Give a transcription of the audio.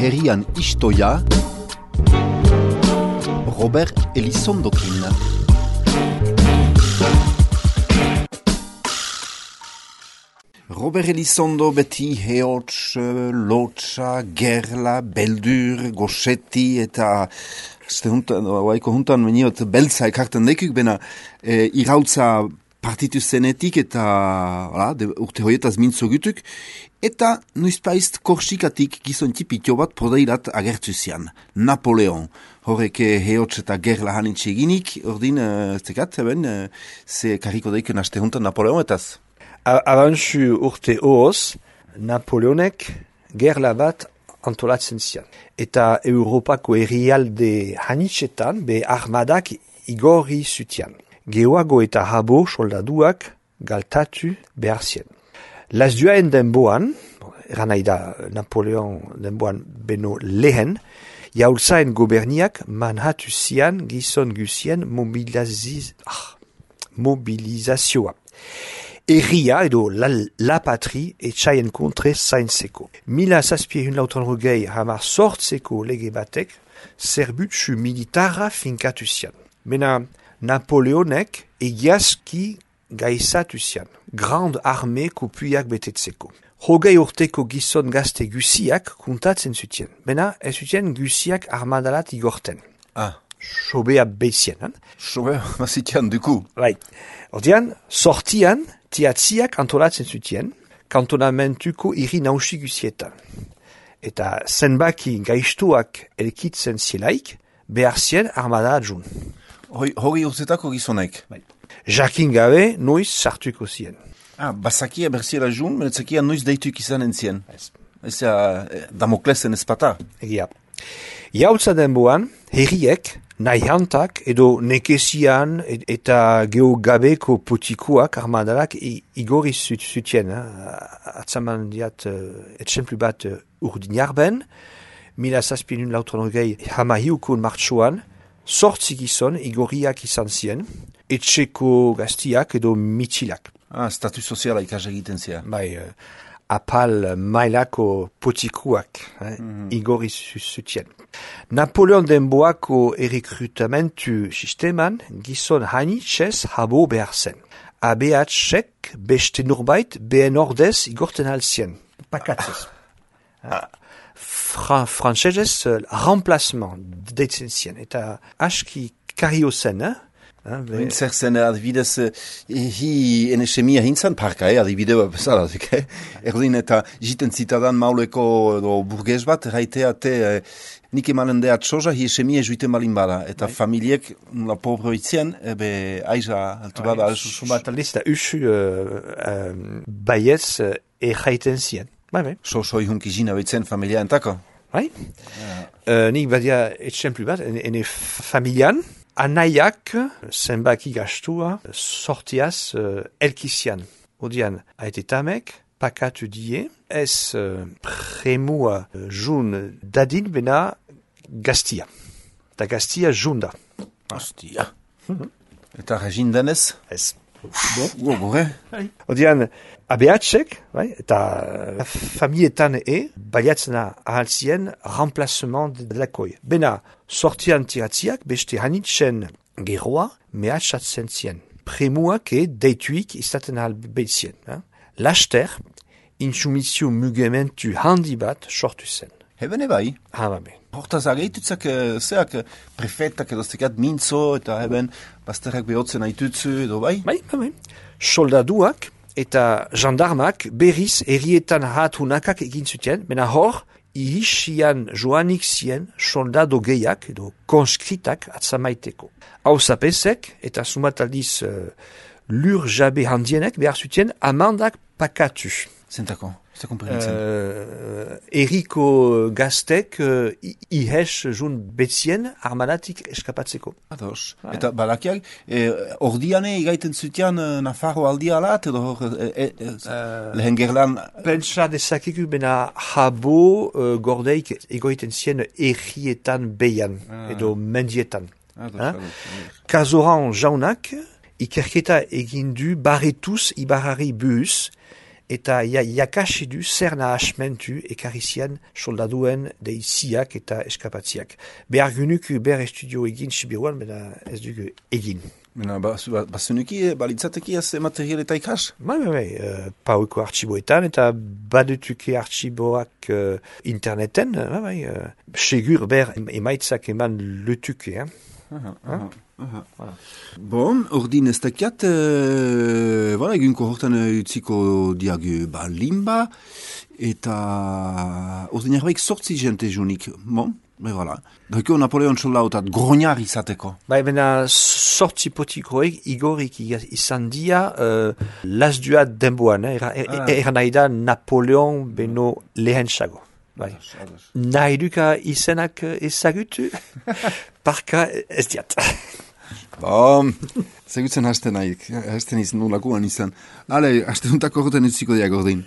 herrian istoia, Robert Elizondokin. Robert Elizondo beti heotz, lotsa, gerla, beldur, gosetti eta waiko juntan meniot beltza ekartan dekuk, bena irautza partitu zenetik eta urte hoietaz mintzo gutuk, eta nuizpaizt korsikatik gizon tipitio bat prodeirat agertu zian, Napoleon. Horrek heotz eta gerla hanitxe eginik, ordin, zekat, ze kariko deiken aste juntan Napoleon etaz? Abantzu urte hooz, Napoleonek gerla bat antolatzen zian. Eta Europako herrialde hanitxetan be armadak igorri zutian. Geoago eta habo soldaduak galtatu behar zien. Lazduaen denboan, eran nahi da Napoleon denboan beno lehen, jaultzaen goberniak manhatu zian gizon guzien mobilizazioa. Herria edo la patri etxaien kontre zaintzeko. 1780 lege batek zerbutsu militarra finkatu zian. Mena Napoleonek egiazki gaizatu zian. Grand arme kopuiak betetzeko. Hogei urteko gizon gazte guziak kuntatzen zutien. Mena ez zutien guziak armadalat igorten. Sobea beizien. Sobea mazitian duku. Bai. Ordean, sortian, tiatziak antolatzen zutien, kantonamentuko hiri nausi guzietan. Eta zenbaki gaiztuak elkitzen zielaik, behar zien armada adjun. Hori urtetako gizonek? Bai. Jakin gabe, noiz sartuko zien. Bazakia berziela jun, menetzakia noiz deituk izanen zien. Ez Damoklesen ezpata. Egia. Jautza denboan, herriek, nahiantak edo nekezian eta geogabeko potikuak armadalak igorri zutien. Atzaman diat etxemplu bat urdinarben, 1780 hamahiukon martxoan, sortzi gizon igorriak izan zien, etxeko gaztiak edo mitxilak. Statu soziala ikas egiten zia. Bai, apal mailako potikuak igorri zutien. Napoleon denboako errekrutamentu sisteman gizon hanitxez habo behar zen. ABH-ek beste norbait behen ordez igorten alzien. Pakatzez. Frantsesez remplacement deitzen zien. Eta aski kario zen, Zer zen, adibidez, hi enesemia hintzan parka, adibidea bezala, erdin eta jiten zitadan mauleko burgez bat, raitea nik emanen deat soja, hi esemia juiten balin bada, eta familiek, la pobroitzien, aiza, altu bada. Sumat aldiz, da usu baiez erraiten zien. Soi hunki jina betzen familia entako? Bai. Nik badia etxemplu bat, ene familian, anaiak zenbaki gastua sortiaz elkizian. Odian, aetetamek, pakatu die, ez premua jun dadin bena gaztia. Ta gaztia junda. Hostia. Eta regin denez? Ez. Gore? Odian, ABH-ek, eta familietan baliatzena ahaltzien remplacement de lakoi. Bena, sortian tiratziak beste hanitzen geroa mehatxatzen zien. Premuak deituik izaten ahal behitzien. Laster, insumizio mugementu handi bat sortu zen. Heben ebai? Babe. Hortaz ageitutzak zeak prefetak edo zekat mintzo eta heben bazterrak behotzen aitutzu edo bai? Bai. Soldaduak eta jandarmak berriz herrietan hatunakak egin zuten, mena hor, ihisian joanik zien soldado gehiak edo konskritak atzamaiteko. Hau zapesek eta sumataldiz lur jabe handienek behar zuten amandak pakatu. Zentako? Eriko gaztek ihes jun betzien armadatik eskapatzeko. Ados. Eta balakiak, ordiane igaiten zutian Nafarro aldia alat, edo lehen gerlan... Pentsa dezakiku bena habo gordeik egoiten zien errietan behian, edo mendietan. Kazoran jaunak, ikerketa egin du barretuz ibarrari buhuz, eta jakasi du zer nahasmentu ekarri zian soldaduen deiziak eta eskapatziak. Behar gynuku estudio egin Sibiruan, bena ez dugu egin. Mena, bazenuki, balitzateki az material eta ikas? Bai, paueko artxiboetan, eta badutuke artxiboak interneten, segur ber emaitzak eman lutuke, Voilà. Bon, ordin ez dakiat, egunko hortan utziko diagu limba, eta ordin erbaik sortzi jente junik. Bon, voilà. Dako Napoleon soldautat groñar izateko. Bena sortzi potikoek igorik izan dia lasduat denboan, eran nahi da Napoleon beno lehentsago. Nahi duka izenak ezagutu, parka ez diat. Bom, ezagutzen hasten nahi, hasten izan nolakoan izan. Hale, hasten untako horretan utziko diak ordin.